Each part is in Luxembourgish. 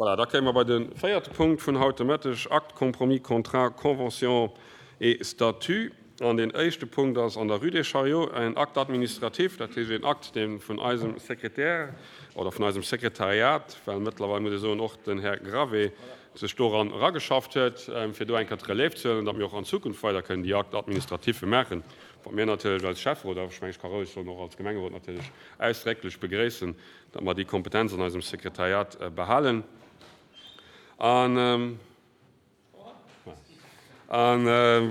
Voilà, da kéime mer bei de véierte Punkt vun haut de Mëtteg, Acte, Compromis, Contrat, Convention et Statut. An deen éischte Punkt ass an der Rue des Chariots en Acte administratif, dat heescht een Akt, dee vun eisem Sekretär oder vun eisem Sekretariat, well mëttlerweil muss ee soen och den Här Gravé sech doran erageschafft huet, fir do eng Kéier d'Relève ze huelen, datt mir och an Zukunft weider kënnen déi Actes administratifs maachen, wat mir natierlech als Schäfferot, awer ech mengen, ech ka roueg soen, och als Gemengerot natierlech ausdrécklech begréissen, datt mer déi Kompetenz an eisem Sekretariat behalen. An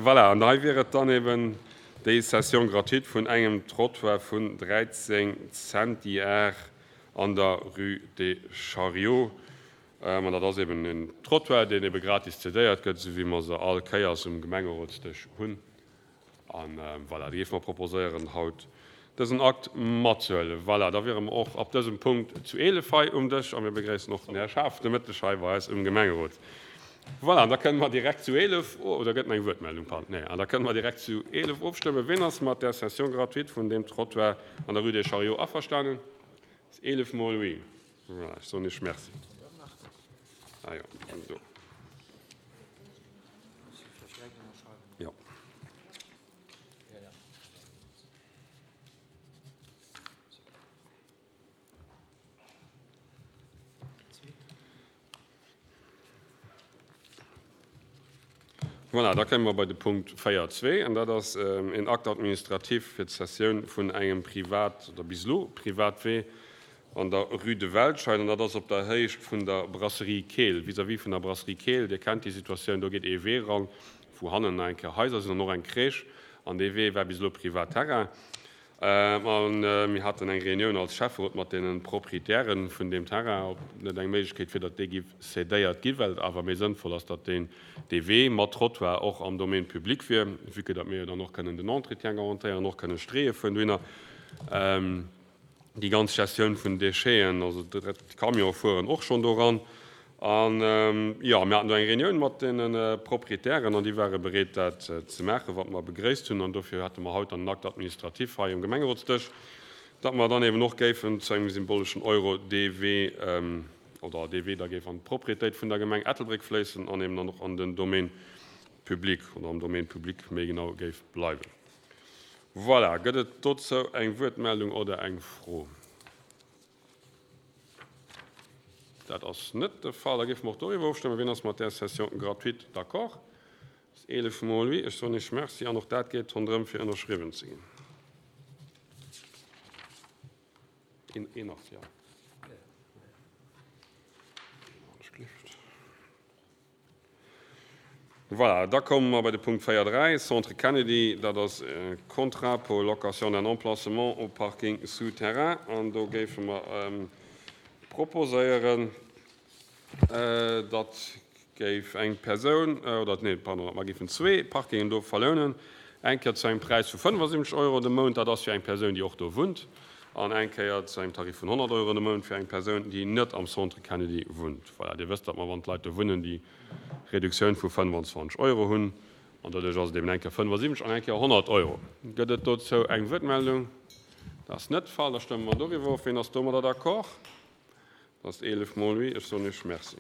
voilà, an hei wier et dann eben déi Cession gratuite vun engem Trottoir vun 13 Centiar an der Rue des Chariots. An dat ass eben en Trottoir, deen ebe gratis cedéiert gëtt, esou wéi mer se all Kéiers um Gemengerotsdësch hunn. A voilà, da géife mer proposéieren, haut dësen Akt matzehuelen. Voilà, da wiere mer och ab dësem Punkt zu 11 hei um Dësch a mir begréissen och den Här Schaaf de Mëtteg hei bei eis um Gemengerot. Voilà, an da kënne mer direkt zu 11, oder gëtt nach eng Wuertmeldung? Pardon, nee, an da kënne mer direkt zu 11 ofstëmmen. Wien ass mat där Cession gratuite vun deem Trottoir an der Rue des Chariots averstanen? Dat ass 11 mol oui. Voilà, ech soen Iech Merci. Ah jo, do. Jo. Voilà, da komme mer bei de Punkt 4.2, an dat ass en Acte administratif fir d'Cessioun vun engem Privat, oder bis elo Privatwee an der Rue de Welscheid, an dat ass op der Héicht vun der Brasserie Keel, vis-à-vis vun der Brasserie Keel. Dir kennt déi Situatioun, do geet ee Wee eran, wou hannen nach eng Kéier Haiser sinn an och eng Crèche, an dee Wee war bis elo Privatterrain. A mir haten eng Reunioun als Schäfferot mat deene Proprietäre vun deem Terrain, ob net eng Méiglechkeet wier, datt dee giff cédéiert gi, well et awer méi sënnvoll ass, datt deen dee Wee mat Trottoir och am Domaine public wier, vue que datt mir jo dann och kënnen den Entretien garantéieren, och kënnen Streeë fueren dohinner. Déi ganz Gestioun vun Décheten, also d'Camionë fueren och schonn doran. An jo, mir haten do eng Reunioun mat deene Proprietären an déi ware bereet, dat ze maachen, wat mer begréisst hunn. An dofir hate mer haut dann en Acte administratif hei um Gemengerotsdësch, datt mer dann eben och géifen zu engem symboleschen Euro dee Wee oder dee Wee da géif an d'Proprietéit vun der Gemeng Ettelbréck fléissen an eben dann och an den Domaine public oder am Domaine public méi genau géif bleiwen. Voilà, gëtt et dozou eng Wuertmeldung oder eng Fro? Dat ass net de Fall. Da géife mer och doriwwer ofstëmmen. Wien ass mat där Cession gratuite d'accord? Dat ass 11 mol oui. Ech soen Iech Merci. An och dat geet ronderëm, fir ënnerschriwwen ze ginn. Een ass, jo. Voilà, da komme mer bei de Punkt 4.3, Centre Kennedy. Dat ass e Contrat pour location d'un emplacement au parking souterrain. An do géife mer proposéieren, datt géif eng Persoun, oder nee, pardon, datt mer géifen zwee Parkingen do verlounen, eng Kéier zu engem Präis vu 75 Euro de Mount, dat ass fir eng Persoun, déi och do wunnt, an eng Kéier zu engem Tarif vun 100 Euro de Mount fir eng Persoun, déi net am Centre Kennedy wunnt. Voilà, Dir wësst, datt mer, wann d'Leit do wunnen, déi Reduktioun vu 25 Euro hunn, an doduerch ass et eben eng Kéier 75 an eng Kéier 100 Euro. Gëtt et dozou eng Wuertmeldung? Dat ass net de Fall. Da stëmme mer doriwwer of. Wien ass domadder d'accord? Dat ass 11 mol oui. Ech soen Iech Merci.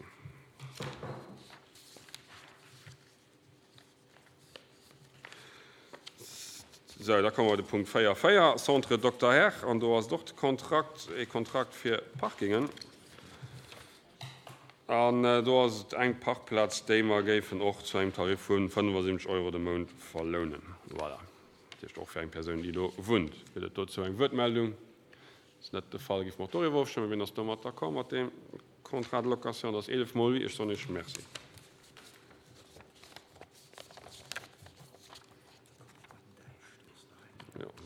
Sou, da komme mer bei de Punkt 4, 4, Centre Dokter Herr. An do ass et och de Kontrakt, ee Kontrakt fir Parkingen. An do ass et eng Parkplaz, déi mer géifen och zu engem Tarif vu 75 Euro de Mount verlounen. Voilà. Dat heescht och fir eng Persoun, déi do wunnt. Gëtt et dozou eng Wuertmeldung? Ass net de Fall. Géife mer och doriwwer ofstëmmen. Wien ass domat d'accord, mat deem Contrat de location? Dat ass 11 mol oui. Ech soen Iech Merci.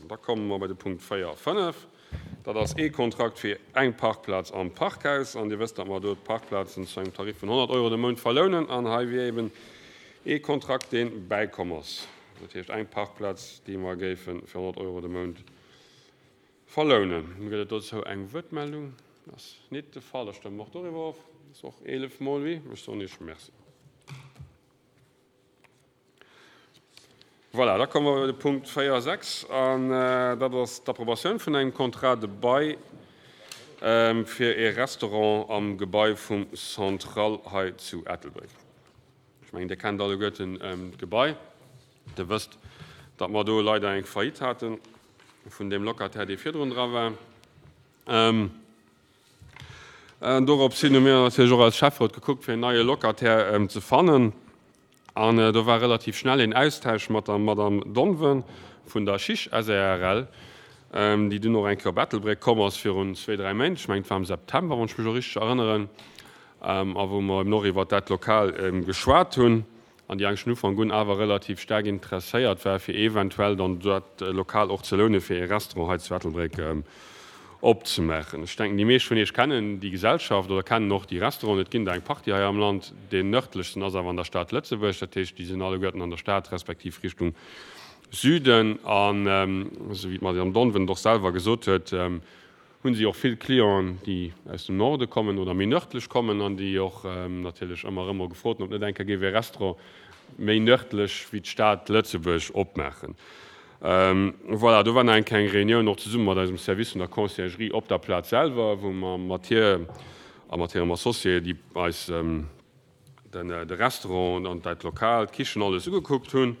Da komme mer bei de Punkt 4 a 5. Dat ass ee Kontrakt fir eng Parkplaz am Parkhaus. An Dir wësst, datt mer do d'Parkplazen zu engem Tarif vun 100 Euro de Mount verlounen. An hei wier eben ee Kontrakt, dee bäikomm ass. Dat heescht eng Parkplaz, déi mer géife fir 100 Euro de Mount verlounen. Gëtt et dozou eng Wuertmeldung? Dat ass nit de Fall. Da stëmme mer och doriwwer of. Dat ass och 11 mol oui. Ech soen Iech Merci. Voilà, da komme mer bei de Punkt 4, 6, an dat ass d'Approbatioun vun engem Contrat de bail. fir ee Restaurant am Gebai vum Central hei zu Ettelbréck. Ech mengen, Dir kennt alleguerten d'Gebai. Dir wësst, datt mer do leider eng Faillite hate vun deem Locataire, dee virdrun dra war. An dorops hin hu mir natierlech och als Schäfferot gekuckt, fir en neie Locataire ze fannen. An do war relativ schnell een Austausch mat der Madame Donven vun der Chiche SARL, déi dunn och eng Kéier op Ettelbréck komm ass virun zwéi, dräi Méint, ech mengen et war am September, wann ech mech elo richteg erënneren, a wou mer eben och iwwert dat Lokal geschwat hunn. An déi eigentlech vun Ufank un awer relativ staark interesséiert war, fir eventuell dann dat Lokal och ze lounen, fir ee Restaurant hei zu Ettelbréck opzemaachen. Ech denken, déi meescht vun Iech kennen déi Gesellschaft oder kennen och déi Restauranten. Et ginn der eng Partie hei am Land. Deen nërdlechsten ass awer an der Stad Lëtzebuerg. Dat heescht, déi sinn alleguerten an der Stad respektiv Richtung Süden. An esou wéi d'Madame Donven et och selwer gesot huet, hunn si och vill Clienten, déi aus dem Norde kommen oder méi nërdlech kommen an déi och natierlech ëmmer erëm mol gefrot hunn, ob net eng Kéier géif ee Restaurant méi nërdlech wéi d'Stad Lëtzebuerg opmaachen. Voilà, do war nach eng kleng Reunioun och zesumme mat eisem Service vun der Conciergerie op der Plaz selwer, wou mer mat hir a mat hirem Associé, déi eis de Restaurant an dat Lokal, d'Kichen, alles ugekuckt hunn.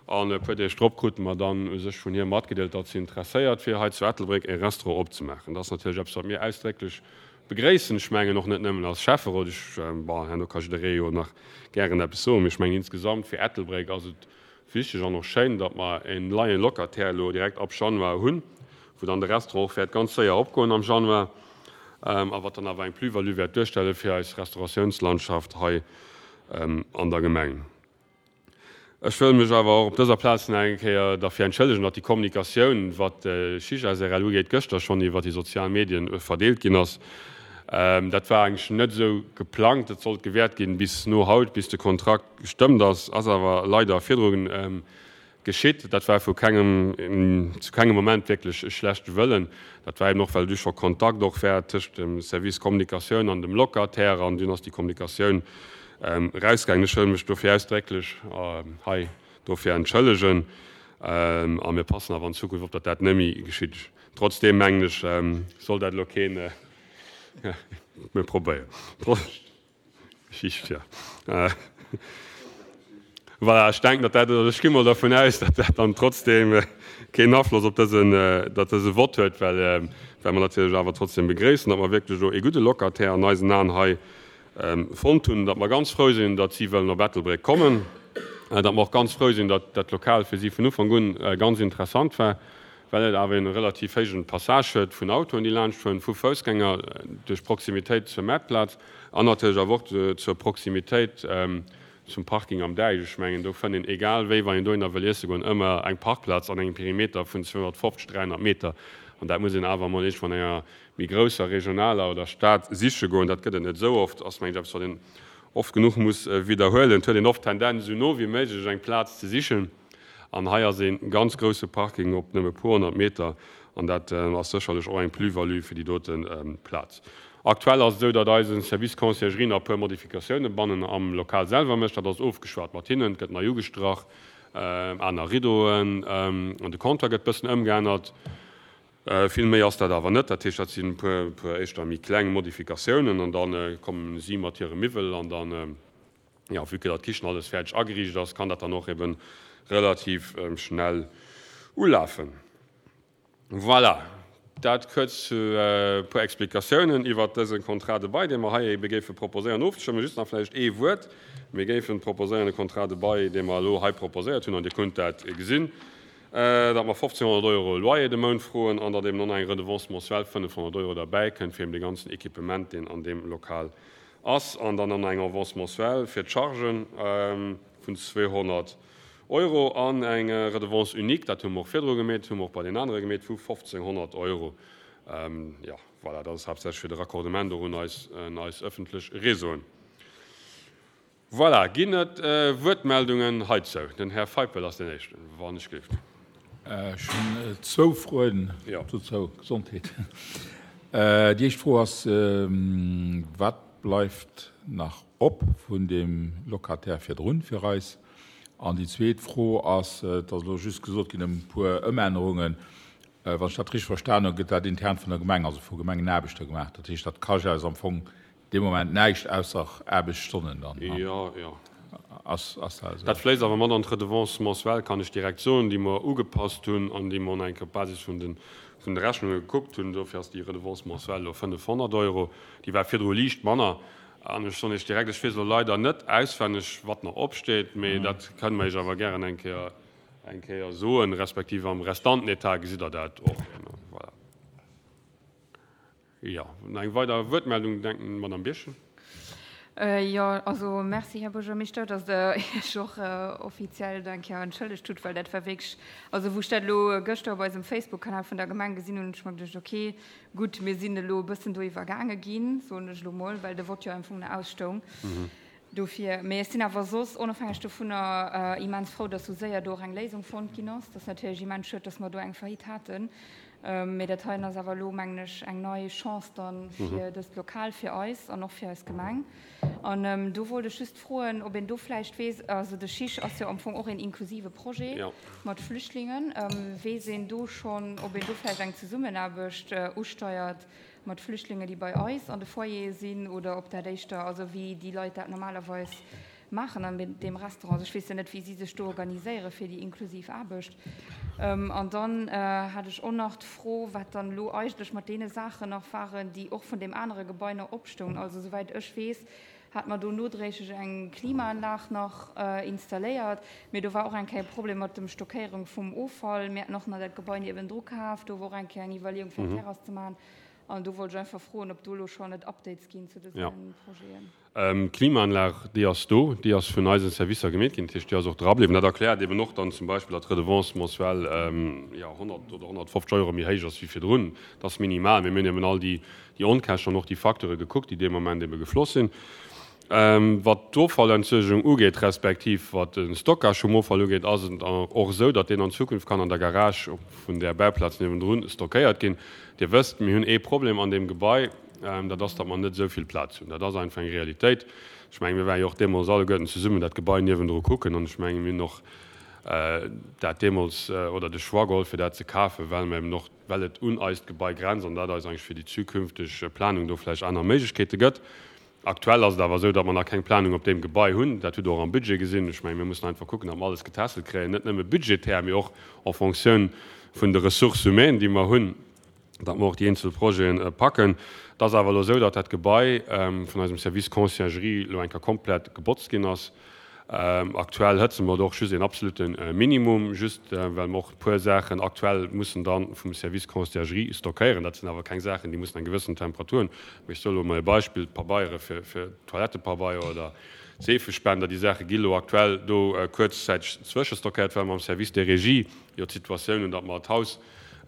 An e puer Deeg drop krute mer dann u sech vun hir matgedeelt, datt si interesséiert wier, hei zu Ettelbréck e Restaurant opzemaachen. Dat ass natierlech eppes, wat mir ausdrécklech begréissen. Ech mengen och net nëmmen als Schäfferot, ech, bon, herno ka jidderee jo nach gären eppes soen, mee ech mengen insgesamt fir Ettelbréck ass et wichteg an och schéin, datt mer en neie Locataire elo direkt ab Januar hunn, wou dann de Restaurant och wäert ganz séier opgoen am Januar a wat dann awer eng Plus-value wäert duerstelle fir eis Restauratiounslandschaft hei an der Gemeng. Ech wëll mech awer och op dëser Plaz nach eng Kéier derfir entschëllegen, datt déi Kommunikatioun, wat d'Chiche SRL ugeet, gëschter schonn iwwer déi sozial Medien verdeelt ginn ass. Dat war eigentlech net esou geplangt. Et sollt gewäert ginn bis no haut, bis de Kontrakt gestëmmt ass, ass awer leider virdru geschitt. Dat war vu kengem, zu kengem Moment wierklech e schlechte Wëllen. Dat war eben och, well du scho Kontakt och war tëscht dem Service Kommunikatioun an dem Locataire an dunn ass déi Kommunikatioun erausgaangen. Ech wëll mech dofir ausdrécklech hei dofir entschëllegen a mir passen awer an Zukunft op, datt dat net méi geschitt. Trotzdeem mengen ech, soll dat elo keen, mir probéieren. Schicht, ja. Voilà, ech denken, datt dat, ech gi mol dervun aus, datt dat dann trotzdem keen Afloss op dësen, datt dëse Vott huet, well, well mer natierlech awer trotzdem begréissen, datt mer wierklech elo ee gudde Locataire an eisen Aen hei fonnt hunn, datt mer ganz frou sinn, datt si wëllen op Ettelbréck kommen, datt mer och ganz frou sinn, datt dat Lokal fir si vun Ufank un ganz interessant war. Well et awer een relativ héijen Passage huet vun Autoen, déi laanscht fueren, vu Foussgänger, duerch d'Proximitéit zur Maartplaz an natierlech awer och zur Proximitéit zum Parking am Däich. Ech mengen, do fënnt een, egal wéi, wann een dohinner wëll iesse goen, ëmmer eng Parkplaz an engem Perimeter vun 250, 300 Meter. An dat muss een awer emol iergendwou an enger méi grousser regionaler oder Stad siche goen. Dat gëtt et net esou oft, ass, mengen ech, eppes, wat een oft genuch muss widderhuelen. Et huet een oft d'Tendenz, esou no wéi méiglech eng Plaz ze sichen. An hei ass ee ganz grousse Parking op nëmme puer 100 Meter an dat ass sécherlech och eng Plus-value fir déi dote Plaz. Aktuell ass et esou, datt eise Service Conciergerie nach e puer Modifikatioune bannen am Lokal selwer mécht. Dat ass ofgeschwat mat hinnen. Et gëtt nei ugestrach, aner Rideauen an de Comptoir gëtt bëssen ëmgeännert. Vill méi ass dat awer net. Dat heescht, dat sinn e puer éischter méi kleng Modifikatiounen an da komme si mat hire Miwwel an dann, Jo, vue que datt d'Kichen alles fäerdeg ageriicht ass, kann dat dann och eben relativ schnell ulafen. Voilà, dat kuerz zu e puer Explikatiounen iwwert dëse Contrat de bail, dee mer hei ebe géife proposéieren ofzestëmmen. Just nach vläicht ee Wuert, Mir géifen proposéieren, e Contrat de bail, dee mer elo hei proposéiert hunn, an Dir kunnt dat gesinn, datt mer 1.500 Euro Loyer de Mount froen an datt eben och nach eng Redevance mensuelle 500 Euro derbäi kënnt fir eben dee ganzen Equipement, deen an deem Lokal ass, an dann eng Avance mensuelle fir d'Chargen vun 200 Euro an eng Redevance unique, dat hu mer och virdru gemeet, hu mer och bei deenen anere gemeet, vu 1.500 Euro. Jo, voilà, dat ass haaptsächlech fir de Raccordement och un eis, un eis ëffentlech Réseauen. Voilà, ginn et Wuertmeldungen heizou? Den Här Feipel ass deen Éischten, wann ech géif. Ech hunn zwou Froen dozou. Gesondheet. Déi éischt Fro ass, Wat bleift nach op vun deem Locataire virdrun fir eis? An déi zweet Fro ass, et ass elo just gesot ginn ëm e puer Ëmännerungen. Wann ech dat richteg verstan hunn, gëtt dat intern vun der Gemeng, also vu Gemengenaarbechter gemaach. Dat heescht, dat kascht eis am Fong dee Moment näischt ausser Aarbechtsstonnen dann. Jo, jo. Ass dat esou? Dat fléisst awer mat an d'Redevance mensuelle, kann ech direkt soen, déi mer ugepasst hunn an déi mer eng Kéier op Basis vun de vun de Rechnunge gekuckt hunn. Dofir ass déi Redevance mensuelle elo 500 Euro. Déi war virdru liicht manner. An ech soen Iech direkt, ech weess elo leider net auswenneg, wat nach opsteet, mee dat kënne mer Iech awer gären eng Kéier eng Kéier soen, respektiv am Restantenetat gesitt Der dat och. Voilà. Jo, nach eng weider Wuertmeldung, denken, Madamm Birchen. Jo, also Merci, Här Buergermeeschter, datt Der Iech och offiziell do eng Kéier entschëllegt hutt, well dat war wierklech, also wou ech dat elo gëschter op eisem Facebook-Kanal vun der Gemeng gesinn hunn, hunn ech mer geduecht, okay, gutt, mir sinn elo e bëssen do iwwergaange ginn, soen ech elo mol, well de Vott jo am Fong nach ausstoung. Dofir, mee ech sinn awer soss, onofhängeg dovunner, immens frou, dass sou séier do och eng Léisung fonnt ginn ass. Dat ass natierlech immens schued, dass mer do eng Faillite haten. Mee dat heien ass awer elo, mengen ech, eng nei Chance dann fir dëst Lokal, fir eis an och fir eis Gemeng. An do wollt ech just froen, ob een do vläicht weess, also de CHIJ ass jo am Fong och een inklusive Projet mat Flüchtlingen, weess een do schonn, ob een do vläicht eng Zesummenaarbecht usteiert mat Flüchtlinge, déi bei eis an de Foyere sinn, oder ob dat éischter, also wéi déi Leit dat normalerweis maachen an deem Restaurant. Also ech weess jo net, wéi si sech do organiséiere fir déi inklusiv Aarbecht. An dann hat ech och nach d'Fro, wat dann elo eigentlech mat deene Saachen nach waren, déi och vun deem anere Gebai nach opstoungen. Also souwäit ech weess, hat mer do nodréiglech eng Klimaanlag nach installéiert, mee do war och eng Kéier e Problem mat dem Stockéierung vum Offall. Mir haten och nach dat Gebai niewendru kaf, do war och eng Kéier eng Iwwerleeung fir eng Terrass ze maachen. An do wollt ech einfach froen, ob do elo schonn et Updates ginn zu dëse Projeten. D'Klimaanlag, déi ass do, déi ass vun eisen Servicer gemeet ginn, dat heescht, déi ass och dra bliwwen. Dat erkläert eben och dann zum Beispill, datt d'Redevance mensuelle, jo, 100 oder 150 Euro méi héich ass wéi virdrun. Dat ass minimal, mee mir hunn eben all déi Onkäschten an och déi Facteure gekuckt, déi dee Moment ebe gefloss sinn. Wat d'Offallentsuergung ugeet, respektiv wat de Stockage vum Offall ugeet, ass et och esou, datt deen an Zukunft kann an der Garage vun där Bauplaz niewendrun stockéiert ginn. Dir wësst, mir hunn ee Problem an deem Gebai, dat ass, datt mer net esou vill Plaz hunn. Dat ass einfach eng Realitéit. Ech mengen, mir ware jo och deemools alleguerten zesummen dat Gebai niewendru kucken an ech mengen, mir hunn och dat deemools, oder de Choix geholl, fir dat ze kafen, well mer eben och, well et un eist Gebai grenzt an dat eis eigentlech fir déi zukünfteg Planung do vläicht aner Méiglechkeete gëtt. Aktuell ass et awer esou, datt mer nach keng Planung op deem Gebai hunn. Dat hutt Der och am Budget gesinn. Ech mengen, mir mussen einfach kucken, datt mer alles getässelt kréien, net nëmme budgetär, mee och en Fonctioun vun de Ressources humaines, déi mer hunn, datt mer och déi eenzel Projete packen. Et ass awer elo esou, datt dat Gebai vun eisem Service Conciergerie elo eng Kéier komplett gebotzt ginn ass. Aktuell hëtze mer do och just een absolute Minimum, just well mer och e puer Saachen aktuell mussen da vum Service Conciergerie stockéieren. Dat sinn awer keng Saachen, déi mussen eng gewëssen Temperatur hunn. Mee ech soe lo emol e Beispill, D'Pabeiere fir Toilettepabeier oder Seefespender, déi Saache gi lo aktuell do kuerzzäiteg zwëschestockéiert, well mer am Service des Régies jo d'Situatioun hunn, datt mer d'Haus,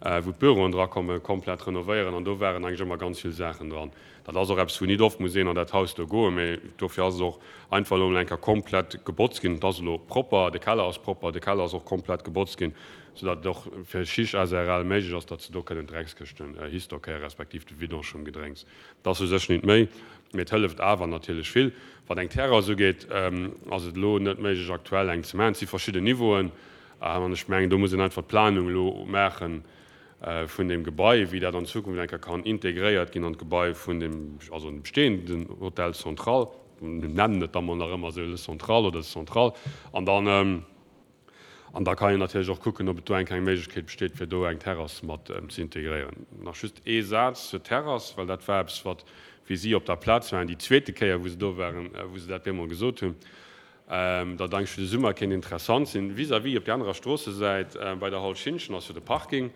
wou d'Büroen drakommen, komplett renovéieren an do waren eigentlech ëmmer ganz vill Saachen dran. Dat ass och eppes, wou nit oft muss een an dat Haus do goen, mä dofir ass et och einfach elo emol eng Kéier komplett gebotzt ginn. Et ass elo propper, de Keller ass propper, de Keller ass och komplett gebotzt ginn, soudatt et och fir Chiche SRL méiglech ass, datt se do kënnen d'Dreckskëschten histockéieren, respektiv de Vidange vum Gedrénks. Et ass u sech nit méi, mä et hëlleft awer natierlech vill. Wat eng Terrass ugeet, ass et elo net méiglech aktuell eng ze maachen. Et si verschidden Niveauen an ech mengen, do muss een einfach d'Planung elo maachen, vun deem Gebai, wéi dat an Zukunft eng Kéier kann integréiert ginn an d'Gebai vun deem, also an de bestehenden Hotel Central, mir nennen et da mol nach ëmmer esou, Le Central oder de Central, an dann, an da kann een natierlech och kucken, ob et do eng Kéier eng Méiglechkeet besteet, fir do eng Terrass mat ze integréieren. Nach just ee Saz zur Terrass, well dat war eppes, wat, wéi si op der Plaz waren, déi zweete Kéier, wou se do waren, wou se dat bemol gesot hunn, Dat eigentlech fir de Summer kéint interessant sinn. Vis-à-vis op där anerer Stroossesäit bei der Hall Schintgen ass jo de Parking.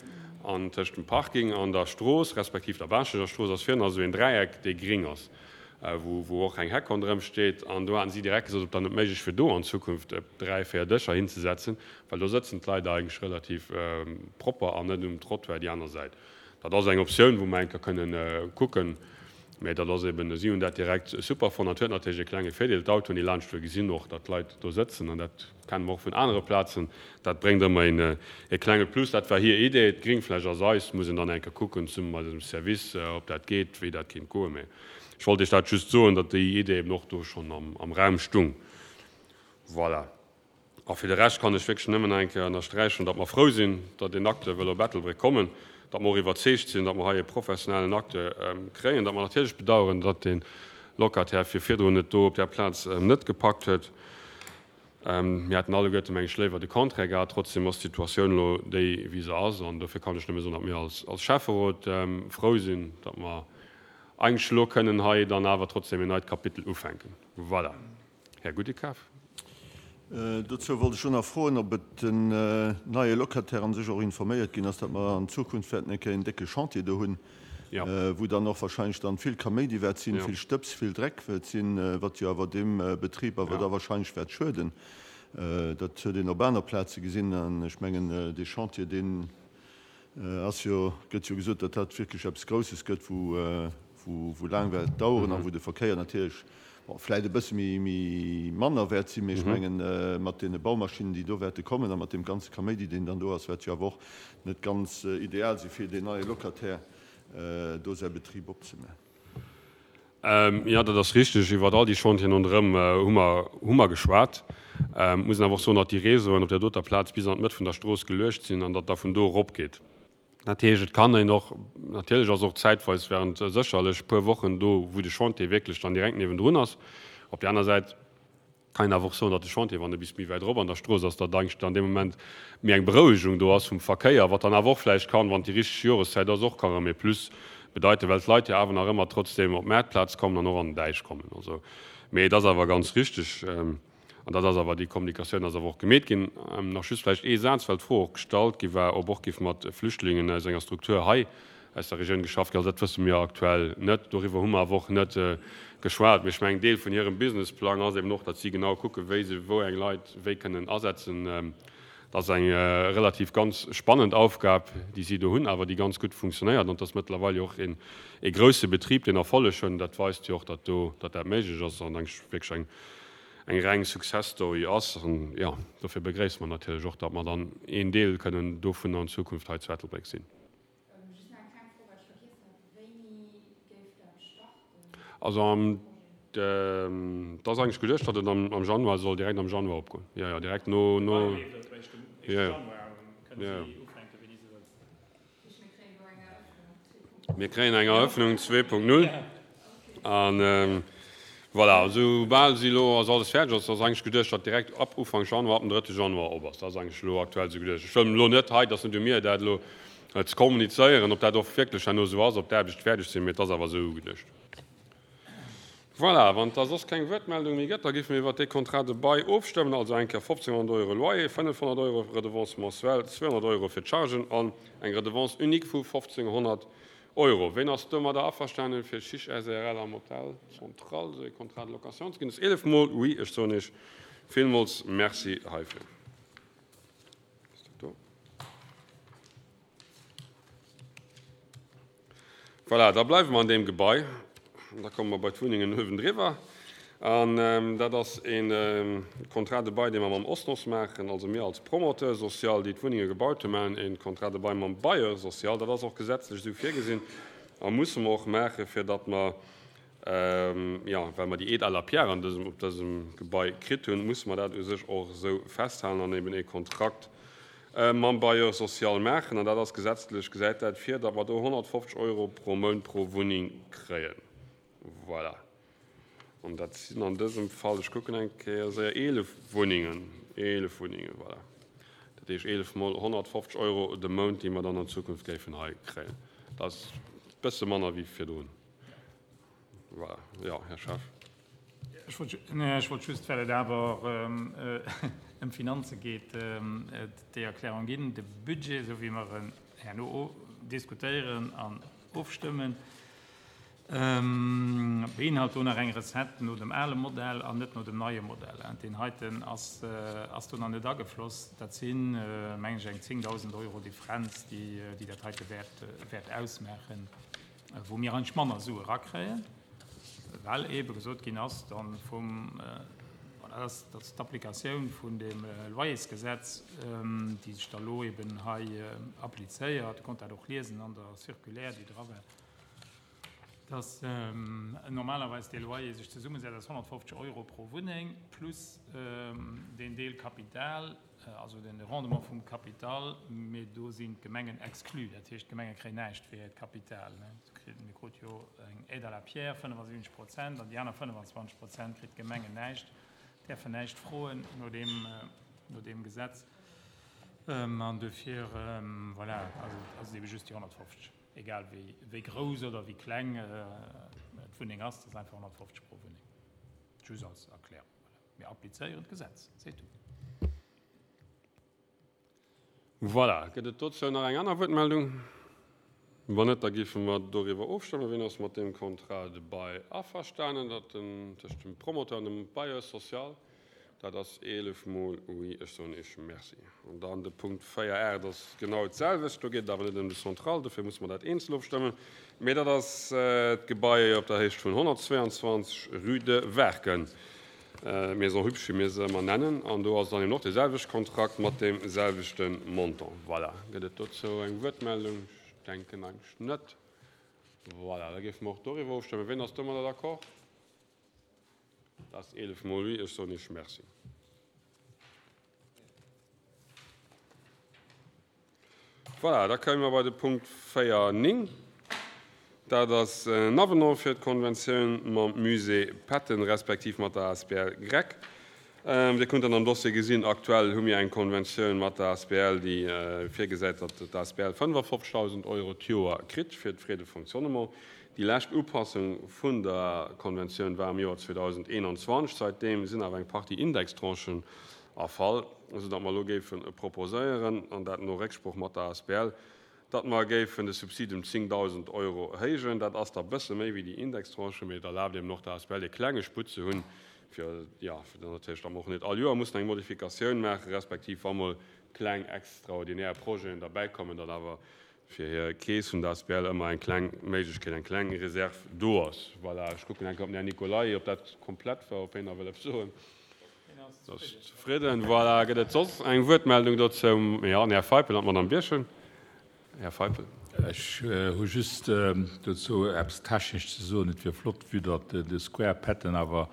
An tëscht dem Parking an der Strooss, respektiv der Baaschtnecher Strooss, ass virun esou een Dräieck, dee gring ass, wou wou och eng Heck ronderëm steet. An do haten si direkt gesot, ob dann net méiglech wier, do an Zukunft dräi, véier Dëscher hinzesetzen, well do sëtzen d'Leit eigentlech relativ propper an net um Trottoir déi aner Säit. Dat ass eng Optioun, wou mer eng Kéier kënnen kucken. Mä dat ass eben, si hunn dat direkt super fonnt. Dat huet natierlech e klenge Virdeel, d'Autoen, déi laanschtfuere gesinn och, datt d'Leit do sëtzen. An dat kenne mer och vun anere Plazen. Dat bréngt ëmmer een e klenge Plus. Dat war hir Idee. D'Gringfläch ass eis. Muss een dann eng Kéier kucken, zesumme mat eisem Service, ob dat geet, wéi dat kéint goen. Mä ech wollt Iech dat just soen, datt déi Idee eben och do schonn am Raum stung. Voilà. A fir de Rescht kann ech wierklech nëmmen nach eng Kéier ënnersträichen, datt mer frou sinn, datt deen Acteur wëll op Ettelbréck kommen, datt mer och iwwerzeegt sinn, datt mer hei e professionellen Acteur kréien, datt mer natierlech bedauern, datt de Locataire fir virdrun et do op där Plaz net gepackt huet. Mir hätten alleguerte, meng ech, léiwer de Contraire gehat. Trotzdem ass d'Situatioun elo déi, wéi se ass. An dofir kann ech nëmme soen, datt mir als Schäfferot frou sinn, datt mer eigentlech elo kënnen hei dann awer trotzdem en neit Kapitel ufänken. Voilà. Här Gudekaf. Dozou wollt ech och nach froen, ob et den neie Locataire an sech och informéiert ginn ass, datt mer an Zukunft wäerten eng Kéier een décke Chantier do hunn, wou dann och wahrscheinlech dann vill Kaméidi wäert sinn, vill Stëbs, vill Dreck wäert sinn, wat jo awer deem Betrib awer da wahrscheinlech wäert schueden. Dat huet een op aner Plaze gesinn an ech mengen, dee Chantier, deen Ass jo, gëtt jo gesot, datt dat wierklech eppes Grousses gëtt, wou, wou laang wäert daueren a wou de Verkéier natierlech, bon, vläicht e bësse méi, méi manner wäert sinn, mee ech mengen, mat deene Baumaschinnen, déi do wäerte kommen a mat deem ganze Kaméidi, deen dann do ass, wäert jo awer och net ganz ideal si fir deen neie Locataire, do säi Betrib opzemaachen. Jo, dat ass richteg. Iwwer all déi Chantieren ronderëm hu mer, hu mer geschwat. Muss een awer och soen, datt déi Réseauen op där doter Plaz bis an d'Mëtt vun der Strooss geluecht sinn an datt da vun do erop geet. Dat heescht, et kann een och, natierlech ass och zäitweis während sécherlech puer Wochen do, wou de Chantier wierklech dann direkt niewendrun ass. Op där aner Säit, Kann een awer och soen, datt de Chantier, wann e bis méi wäit erop an der Strooss ass, datt eigentlech an deem Moment méi eng Berouegung do ass vum Verkéier, wat dann awer och vläicht kann, wann et déi richteg Joreszäit ass, och ka rëm ee Plus bedeiten, well d'Leit jo awer nach ëmmer trotzdem op d'Maartplaz kommen an och an den Däich kommen. Also, mee et ass awer ganz richteg, an dat ass awer, déi Kommunikatioun ass awer och gemeet ginn. Nach just vläicht ee Saz, well d'Fro och gestallt gi war, ob och géif mat Flüchtlingen aus enger Struktur hei aus der Regioun geschafft ginn. Also dat wësse mir aktuell net. Doriwwer hu mer awer och net geschwat. Mee ech mengen, Deel vun hirem Businessplang ass eben och, datt si genau kucken, wéi se wou eng Leit wéi kënnen asetzen. Dat ass eng relativ ganz spannend Aufgab, déi si do hunn, awer déi ganz gutt funktionéiert. An et ass mëttlerweil jo och een ee grousse Betrib, deen Erfolleg hunn. Dat weist jo och, datt do, datt dat méiglech ass an eng wierklech eng eng reng Success Story ass. An jo, dofir begréisse mer natierlech och, datt mer dann een Deel kënnen dovunner an Zukunft hei zu Ettelbréck sinn. Just nach eng kleng Fro, wat ech vergiess hat, Wéini géif dat starten? Also am, et ass eigentlech geduecht, datt et am Januar soll, direkt am Januar opgoen. Jo, jo, direkt no, no, jo, jo, jo, jo. Mir kréien eng Eröffnung 2.0. An voilà, soubal si elo ass alles fäerdeg ass, ass eigentlech geduecht, datt direkt ab Ufank Januar, ab dem drëtte Januar op ass. Dat ass eigentlech elo aktuell esou geduecht. Ech wëll elo net hei, et ass net u mir, dat elo ze kommunizéieren, ob dat och wierklech herno esou ass, ob d'Aarbechte fäerdeg sinn, mee et ass awer esou ugeduecht. Voilà, wann et da soss keng Wuertmeldung méi gëtt, da géife mir iwwert dee Contrat de bail ofstëmmen, also eng Kéier 1.500 Euro Loyer, 500 Euro Redevance mensuelle, 200 Euro fir d'Chargen an eng Redevance unique vu 1.500 Euro. Ween ass domadder averstanen, fir Chiche SARL am Hotel Central esou ee Contrat de location ze ginn? Dat ass 11 Mol Oui. Ech soen Iech villmools Merci heifir. Ass dat do? Voilà, da bleiwe mer an deem Gebai. Da komme mer bei d'Wunnengen uewendriwwer. An dat ass e Contrat de bail, dee mer mam OSNOS maachen. Also mir als Promoteur social, déi d'Wunnenge gebaut hunn, maachen e Contrat de bail mam Bailleur social. Dat ass och gesetzlech esou virgesinn a musse mer och maachen, fir datt mer, jo, well mer déi Aide à la pierre an dësem, op dësem Gebai kritt hunn, musse mer dat u sech och esou festhalen an eben e Kontrakt mam Bailleur social maachen. An dat ass gesetzlech, gesäit dat vir, datt mer do 150 Euro pro Mount pro Wunneng kréien. Voilà. An dat sinn an dësem Fall, ech kucken eng Kéier séier, 11 Wunnengen. 11 Wunnengen, voilà. Dat heescht 11 mol 150 Euro de Mount, déi mer dann an Zukunft géifen hei kréien. Dat ass e bësse manner wéi virdrun. Voilà. Jo, Här Schaaf. Ech wollt just, well et awer ëm Finanze geet, déi Erklärung ginn. De Budget, esou wéi mer en herno diskutéieren an ofstëmmen, Beinhalt do nach eng Recette no dem ale Modell an net no dem neie Modell. Deen heiten ass do nach net agefloss. Dat sinn, mengen ech, eng 10.000 Euro Differenz, déi dat heite wäert ausmaachen, wou mir eigentlech manner Sue erakréien, well eebe gesot ginn ass dann vum, voilà, dat ass d'Applikatioun vun dem Loyersgesetz, déi sech da lo eeben hei applizéiert. Dir konnt dat och liesen an der Circulaire, déi dra war. Dass normalerweis dee Loyer sech zesummesetzt aus 150 Euro pro Wunneng plus deen Deel Kapital, also de Rendement vum Kapital, mee do sinn d'Gemengen exclus. Dat heescht, d'Gemenge kréien näischt fir hiert Kapital. Mir krut jo eng Aide à la pierre, 75 Prozent, an déi aner 25 Prozent kritt d'Gemengen näischt, däerfen näischt froen no deem, no deem Gesetz. An duerfir, voilà, also ass et ebe just déi 150, egal wéi, wéi grouss oder wéi kleng d'Wunneng ass, dat ass einfach 150 pro Wunneng. Just als Erklärung, voilà. Mir applizéieren d'Gesetz, c'est tout. Voilà. Gëtt et dozou nach eng aner Wuertmeldung? Wann net, da géife mer doriwwer ofstëmmen. Wien ass mat deem Contrat de bail averstanen, datt den tëscht dem Promoteur an dem Bailleur social? Dat ass 11 mol oui. Ech soen Iech Merci. An dann de Punkt 4, 8 ass genau d'selwecht. Do geet et awer net ëm de Central, dofir musse mer dat eenzel ofstëmmen. Mee dat ass d'Gebai op der Héicht vun 122, rue de Werken. Maison Hübsch, wéi mir se ëmmer nennen, an do ass dann eben och dee selwechte Kontrakt mat deem selwechte Montant. Voilà. Gëtt et dozou eng Wuertmeldung? Ech denken eigentlech net. Voilà, da géife mer och doriwwer ofstëmmen. Wien ass domadder d'accord? Dat ass 11 mol oui. Ech soen Iech Merci. Voilà, da komme mer bei de Punkt 4, 9. Dat ass en Avenant fir d'Konventioun mam Musée Patton respektiv mat der asbl GREC. Dir kënnt dann am Dossier gesinn, aktuell hu mir eng Konventioun mat der asbl, déi virgesäit, datt d'asbl 55.000 Euro d'Joer kritt fir d'Frais de fonctionnement. Déi lescht Upassung vun der Konventioun war am Joer 2021. Säitdeem sinn awer eng Partie Indextranchen Erfall, esou datt mer elo géife proposéieren, an dat no Récksprooch mat der asbl, datt mer géifen de Subsid ëm 10.000 Euro héijen. Dat ass da bësse méi wéi déi Indextranche, mee et erlaabt eben och der asbl e klenge Sputt ze hunn, fir, jo, fir dann natierlech, datt mer och net all Joer mussen eng Modifikatioun maachen, respektiv wa mol kleng extraordinär Projeten derbäikommen, datt awer fir hir Keess vun der asbl ëmmer eng kleng Méiglechkeet, eng kleng Reserv do ass. Voilà, ech kucken eng Kéier op den Här Nicolay, ob dat komplett war, ob hien nach wëll eppes soen. Dat ass zefridden. Voilà, gëtt et soss eng Wuertmeldung dozou? Jo, den Här Feipel an d'Madame Birchen. Här Feipel. Ech hu just dozou eppes Technesches ze soen. Et wier flott, vue datt de Square Patton awer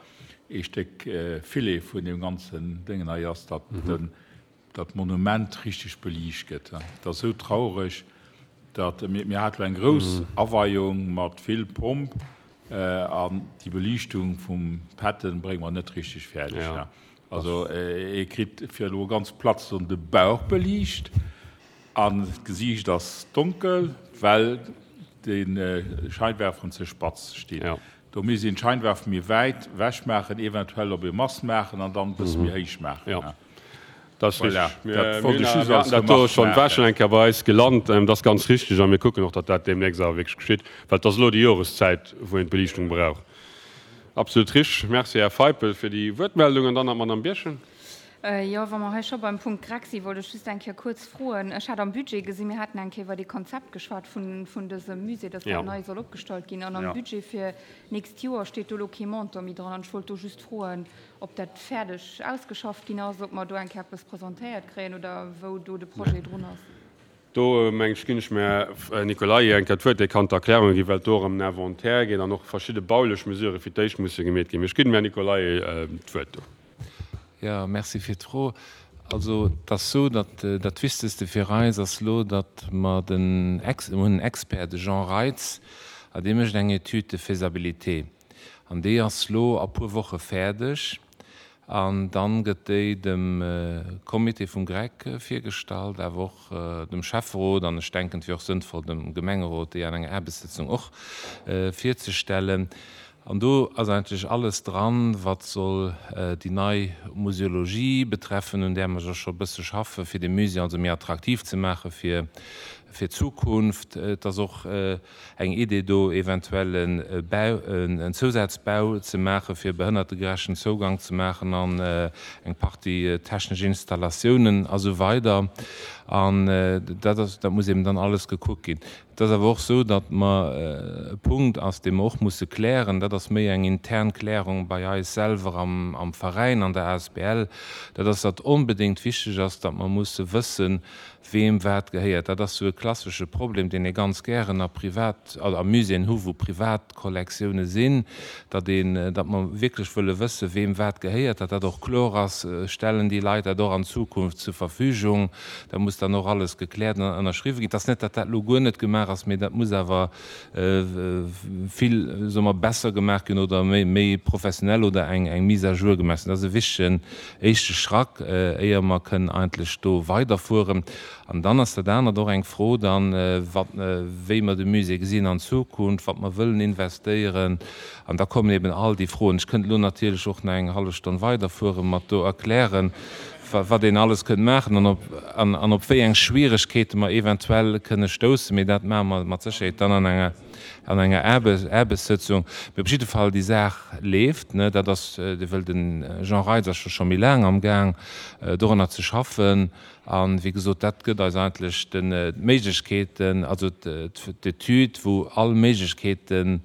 ee Stéck Filet vun deem ganzen Déngen hei ass, datt den dat Monument richteg beliicht gëtt. Et ass esou traureg, datt mir hate lo eng grouss Aweiung mat vill Pomp an déi Beliichtung vum Patton brénge mer net richteg fäerdeg. Also ee kritt, fir elo ganz platt ze soen, de Bauch beliicht an d'Gesiicht ass donkel, well de Scheinwerferen ze spatz stinn. Do misst een d'Scheinwerfer méi wäit wech maachen, eventuell op ee Mast maachen an dann e bësse méi héich maachen. Dat ass richtig. Mir haten dat do schonn, war schonn eng Kéier bei eis gelant. Dat ass ganz richtig a mir kucken och, datt dat deemnächst awer wierklech geschitt, well et ass elo déi Joreszäit, wou een d'Beliichtung brauch. Absolut richtig. Merci, Här Feipel, fir déi Wuertmeldung. An dann nach d'Madame Birchen. Jo, wa mer hei scho beim Punkt GREC sinn, wollt ech just eng Kéier kuerz froen. Ech hat am Budget gesinn, mir haten eng Kéier iwwer dee Konzept geschwat vun, vun dësem Musée, dass dat nei soll opgestallt ginn. An am Budget fir d'nächst Joer steet do elo kee Montant méi dran. An ech wollt do just froen, ob dat fäerdeg ausgeschafft ginn ass, ob mer do eng Kéier eppes presentéiert kréien oder wou do de Projet drun ass. Do, meng ech, ginn ech dem Här Nicolay eng Kéier d'Wuert, dee kann d'Erklärunge ginn, well et do och ëm en Inventaire geet an och verschidde baulech Mesurë fir d'éischt musse gemeet ginn. Mee ech ginn dem Här Nicolay d'Wuert do. Jo, merci fir d'Fro. Also, et ass esou, datt dat Wichtegste fir eis ass elo, datt mer den Ex, mir hunn en Expert, de Jean Reitz, a dee mécht eng Étude de faisabilité. An déi ass lo a puer Woche fäerdeg. An dann gëtt déi dem Comité vum GREC virgestallt, awer och dem Schäfferot an ech denken, et wier och sënnvoll, dem Gemengerot déi an enger Aarbechtssëtzung och virzestellen. An do ass eigentlech alles dran, wat soll déi nei Museologie betreffen, un där mer jo scho e bësse schaffen, fir de Musée also méi attraktiv ze maache fir d'Zukunft. Et ass och Eng Idee do eventuell e Bau, en Zousazbau ze maachen, fir behënnertegerechten Zougang ze maachen an eng Partie technesch Installatiounen a sou weider. An dat ass, dat muss eben dann alles gekuckt ginn. Et ass awer och esou, datt mer, e Punkt ass, dee mer och musse klären, dat ass méi eng intern Klärung bei eis selwer am, am Veräin, an der asbl, dat ass, datt onbedéngt wichteg ass, datt mer musse wëssen, weem wat gehéiert. Dat ass esou e. klassesche Problem, deen ee ganz gären a Privat, also a Muséeën hu wou Privatkollektioune sinn, datt een, datt mer wierklech wëlle wësse weem wat gehéiert, datt dat och kloer ass, stellen déi Leit dat och an Zukunft zur Verfügung, dat muss dann och alles gekläert an ënnerschriwwe ginn. Et ass net, datt dat elo guer net gemaach ass, mee dat muss awer vill, soe mer, besser gemaach ginn oder méi professionell oder eng Mise à jour gemaach sinn. Dat ass e wichtegen éischte Schrack, éier mer kënnen eigentlech do weiderfueren. An dann ass dat anert och eng Fro dann, wat, wéi mer de Musée gesinn an Zukunft, wat mer wëllen investéieren. An da kommen eben all déi Froen. Ech kënnt elo natierlech och nach eng hallef Stonn weiderfueren, mat do erklären, wat een alles kënnt maachen an op, an op wéi eng Schwieregkeete mer eventuell kënne stoussen. Mee dat maache mer mat Sécherheet dann an enger, an enger Aarbechtssëtzung. Mee op jidde Fall, déi Saach leeft. Dat ass, wëll de Jean Reitz ass jo scho méi laang amgaang, dorunner ze schaffen. A wéi gesot, dat gëtt eis eigentlech d'Méiglechkeeten, also d'Etüd, wou all Méiglechkeeten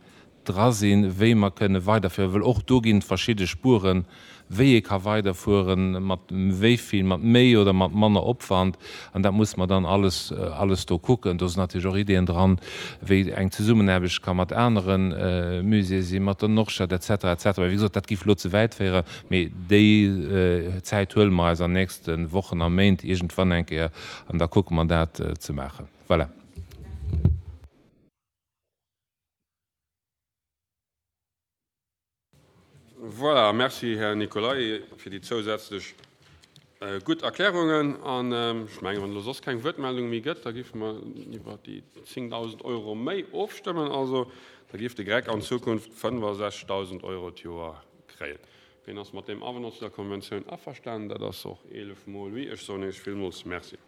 dra sinn, wéi mer kënne weiderfueren, well och do ginn et verschidde Spueren, wéi ee ka weiderfueren, mat wéi vill, mat méi oder mat manner Opwand, an dat musse mer dann alles, alles do kucken. Do sinn natierlech och Ideeën dran, wéi eng Zesummenaarbecht ka mat anere Muséeë sinn, mat der Nordstad et cetera, et cetera. Wéi gesot, dat géif elo ze wäit féieren, mee déi Zäit huele mer eis an nächste Wochen a Méint iergendwann eng Kéier an da kucke mer dat ze maachen. Voilà. Voilà, merci Här Nicolay fir déi zousätzlech gutt Erklärungen. An ech mengen, wann elo soss keng Wuertmeldung méi gëtt, da géife mer iwwer déi 10.000 Euro méi ofstëmmen. Also da géif de GREC an Zukunft 65.000 Euro d'Joer kréien. Wien ass mat deem Avenant zu der Konventioun averstanen? Dat ass och 11 mol oui. Ech soen Iech villmools Merci.